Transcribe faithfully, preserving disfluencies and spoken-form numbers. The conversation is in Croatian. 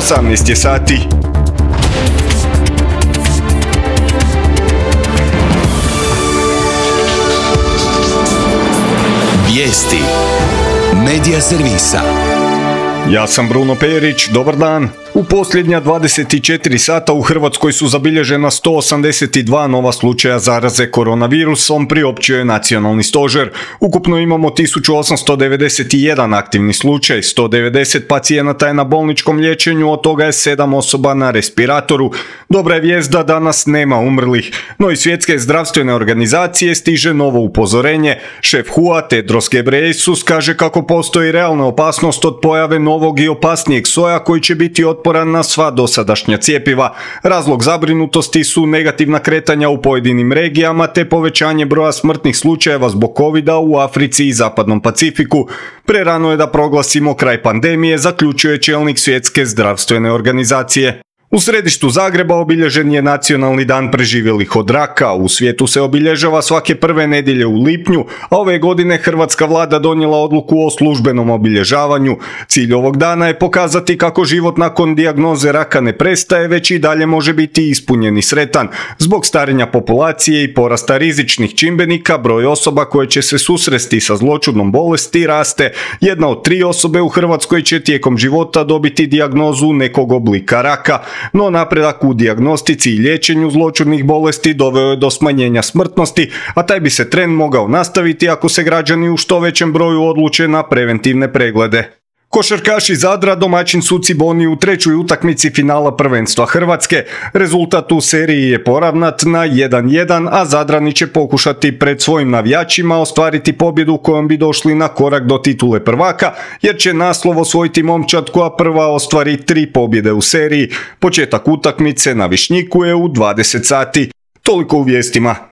osamnaest je sati. Vijesti Medija servisa. Ja sam Bruno Perić, dobar dan. U posljednja dvadeset četiri sata u Hrvatskoj su zabilježena sto osamdeset dva nova slučaja zaraze koronavirusom, priopćio je Nacionalni stožer. Ukupno imamo tisuću osamsto devedeset jedan aktivni slučaj, sto devedeset pacijenata je na bolničkom liječenju, od toga je sedam osoba na respiratoru. Dobra je vijest da danas nema umrlih, no iz Svjetske zdravstvene organizacije stiže novo upozorenje. Šef H U A Tedros Ghebreyesus kaže kako postoji realna opasnost od pojave novog i opasnijeg soja koji će biti otporan na sva dosadašnja cjepiva. Razlog zabrinutosti su negativna kretanja u pojedinim regijama te povećanje broja smrtnih slučajeva zbog covida u Africi i Zapadnom Pacifiku. Prerano je da proglasimo kraj pandemije, zaključuje čelnik Svjetske zdravstvene organizacije. U središtu Zagreba obilježen je Nacionalni dan preživjelih od raka. U svijetu se obilježava svake prve nedjelje u lipnju, a ove godine hrvatska vlada donijela odluku o službenom obilježavanju. Cilj ovog dana je pokazati kako život nakon dijagnoze raka ne prestaje, već i dalje može biti ispunjen i sretan. Zbog starenja populacije i porasta rizičnih čimbenika, broj osoba koje će se susresti sa zloćudnom bolesti raste. Jedna od tri osobe u Hrvatskoj će tijekom života dobiti dijagnozu nekog oblika raka. No napredak u dijagnostici i liječenju zloćudnih bolesti doveo je do smanjenja smrtnosti, a taj bi se trend mogao nastaviti ako se građani u što većem broju odluče na preventivne preglede. Košarkaši Zadra domaćin su Ciboni u trećoj utakmici finala prvenstva Hrvatske. Rezultat u seriji je poravnat na jedan jedan, a Zadrani će pokušati pred svojim navijačima ostvariti pobjedu kojom bi došli na korak do titule prvaka, jer će naslov osvojiti momčad koja prva ostvari tri pobjede u seriji. Početak utakmice na Višnjiku je u dvadeset sati. Toliko u vijestima.